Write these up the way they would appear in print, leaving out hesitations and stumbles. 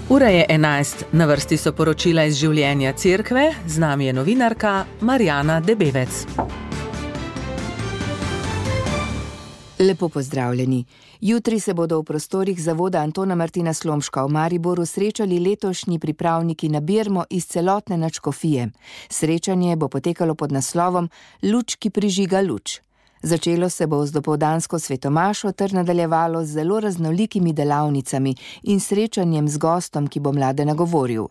Ura je 11, na vrsti so poročila iz življenja cerkve, z nami je novinarka Marjana Debevec. Lepo pozdravljeni. Jutri se bodo v prostorih zavoda Antona Martina Slomška v Mariboru srečali letošnji pripravniki na birmo iz celotne nadškofije. Srečanje bo potekalo pod naslovom Luč, ki prižiga luč. Začelo se bo z dopoldansko svetomašo ter nadaljevalo z zelo raznolikimi delavnicami in srečanjem z gostom, ki bo mlade nagovoril.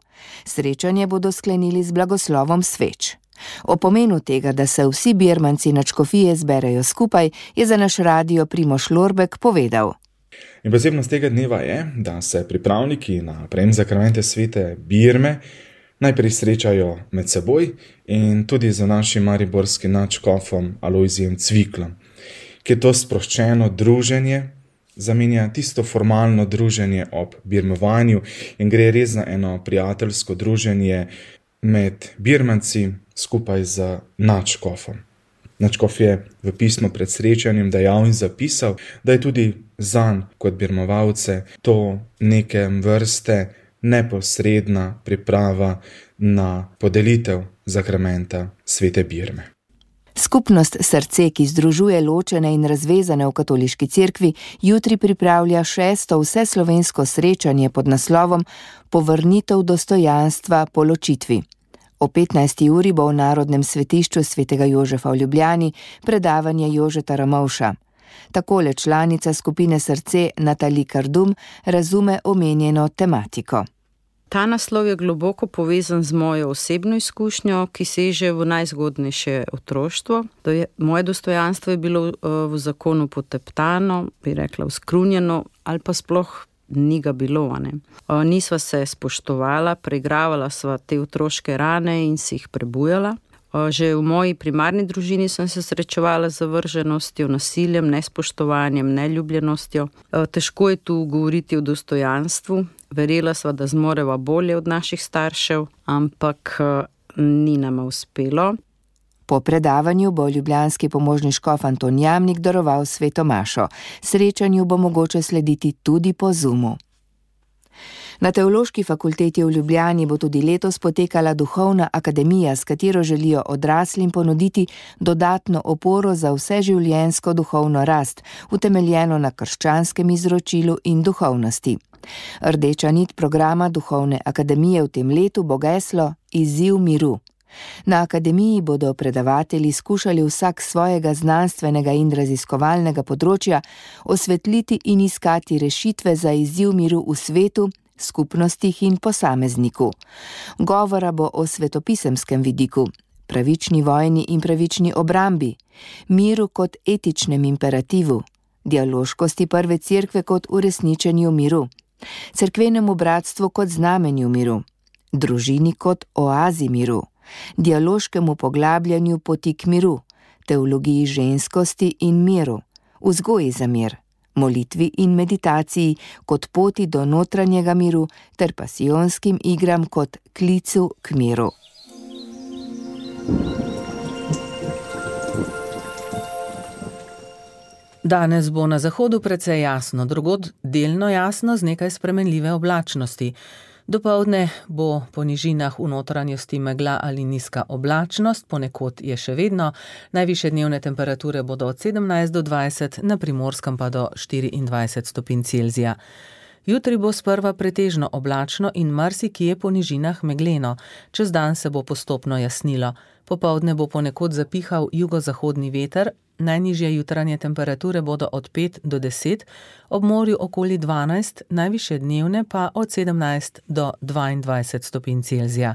Srečanje bodo sklenili z blagoslovom sveč. O pomenu tega, da se vsi birmanci nadškofije zberejo skupaj, je za naš radio Primož Lorbek povedal. In posebnost tega dneva je, da se pripravniki na prejem zakramente svete birme najprej srečajo med seboj in tudi z našim mariborskim nadškofom Alojzijem Cviklom, ki je to sproščeno druženje zamenja tisto formalno druženje ob birmovanju in gre res za eno prijateljsko druženje med birmanci skupaj z nadškofom. Nadškof je v pismu pred srečanjem dejal in zapisal, da je tudi zanj kot birmovalce to neke vrste neposredna priprava na podelitev zakramenta svete birme. Skupnost Srce, ki združuje ločene in razvezane v katoliški cerkvi, jutri pripravlja 6. vseslovensko srečanje pod naslovom Povrnitev dostojanstva po ločitvi. O 15. uri bo v Narodnem svetišču svetega Jožefa v Ljubljani predavanje Jožeta Ramovša. Takole članica skupine Srce Natali Kardum razume omenjeno tematiko. Ta naslov je globoko povezan z mojo osebno izkušnjo, ki seže v najzgodnejše otroštvo. Moje dostojanstvo je bilo v zakonu poteptano, bi rekla uskrunjeno, ali pa sploh ni ga bilo. Nisva se spoštovala, preigravala sva te otroške rane in si jih prebujala. Že v moji primarni družini sem se srečevala z zavrženostjo, nasiljem, nespoštovanjem, neljubljenostjo. Težko je tu govoriti o dostojanstvu. Verjela sva, da zmoreva bolje od naših staršev, ampak ni nama uspelo. Po predavanju bo ljubljanski pomožni škof Anton Jamnik daroval svetomašo. Srečanju bo mogoče slediti tudi po Zoomu. Na Teološki fakulteti v Ljubljani bo tudi letos potekala duhovna akademija, s katero želijo odraslim ponuditi dodatno oporo za vseživljenjsko duhovno rast, utemeljeno na krščanskem izročilu in duhovnosti. Rdeča nit programa duhovne akademije v tem letu bo geslo Izziv miru. Na akademiji bodo predavatelji skušali vsak svojega znanstvenega in raziskovalnega področja osvetliti in iskati rešitve za izziv miru v svetu, skupnostih in posamezniku. Govora bo o svetopisemskem vidiku, pravični vojni in pravični obrambi, miru kot etičnem imperativu, dialoškosti prve cerkve kot uresničenju miru, cerkvenemu bratstvu kot znamenju miru, družini kot oazi miru, dialoškemu poglabljanju poti k miru, teologiji ženskosti in miru, vzgoji za mir, molitvi in meditaciji kot poti do notranjega miru ter pasijonskim igram kot klicu k miru. Danes bo na zahodu precej jasno, drugod delno jasno z nekaj spremenljive oblačnosti. Dopoldne bo po nižinah v notranjosti megla ali nizka oblačnost, ponekod je še vedno. Najvišje dnevne temperature bodo od 17 do 20, na Primorskem pa do 24 stopinj Celzija. Jutri bo sprva pretežno oblačno in marsikje po nižinah megleno. Čez dan se bo postopno jasnilo. Popoldne bo ponekod zapihal jugozahodni veter, najnižje jutranje temperature bodo od 5 do 10, ob morju okoli 12, najvišje dnevne pa od 17 do 22 stopinj Celzija.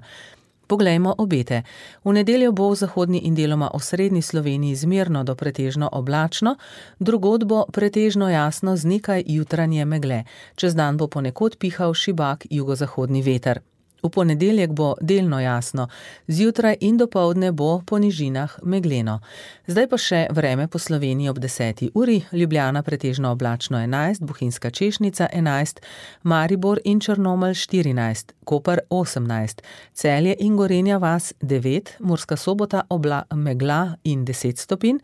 Poglejmo obete. V nedeljo bo v zahodni in deloma osrednji Sloveniji zmerno do pretežno oblačno, drugod bo pretežno jasno z nekaj jutranje megle. Čez dan bo ponekod pihal šibak jugozahodni veter. V ponedeljek bo delno jasno, zjutraj in dopoldne bo po nižinah megleno. Zdaj pa še vreme po Sloveniji ob 10. uri, Ljubljana pretežno oblačno 11, Bohinjska Češnica 11, Maribor in Črnomelj 14, Koper 18, Celje in Gorenja vas 9, Murska Sobota megla in 10 stopinj,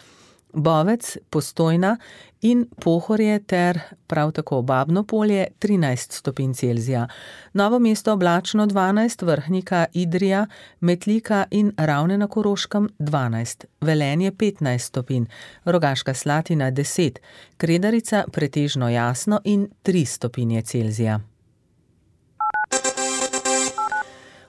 Bovec, Postojna in Pohorje ter prav tako Babno Polje 13 stopinj Celzija. Novo mesto oblačno 12, Vrhnika, Idrija, Metlika in Ravne na Koroškem 12, Velenje 15 stopinj, Rogaška Slatina 10, Kredarica pretežno jasno in 3 stopinje Celzija.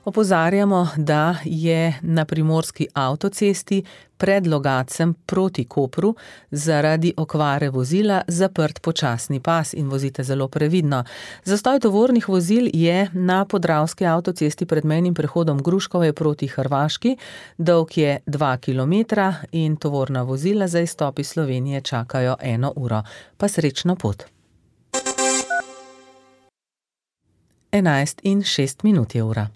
Opozarjamo, da je na primorski avtocesti pred Logatcem proti Kopru zaradi okvare vozila zaprt počasni pas in vozite zelo previdno. Zastoj tovornih vozil je na podravski avtocesti pred mejnim prehodom Gruškove proti Hrvaški, dolg je 2 km in tovorna vozila za izstop iz Slovenije čakajo 1 uro. Pa srečno pot. 11:06 je ura.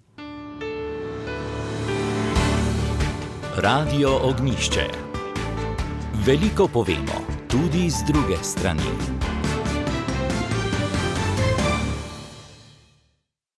Radio Ognjišče. Veliko povemo, tudi z druge strani.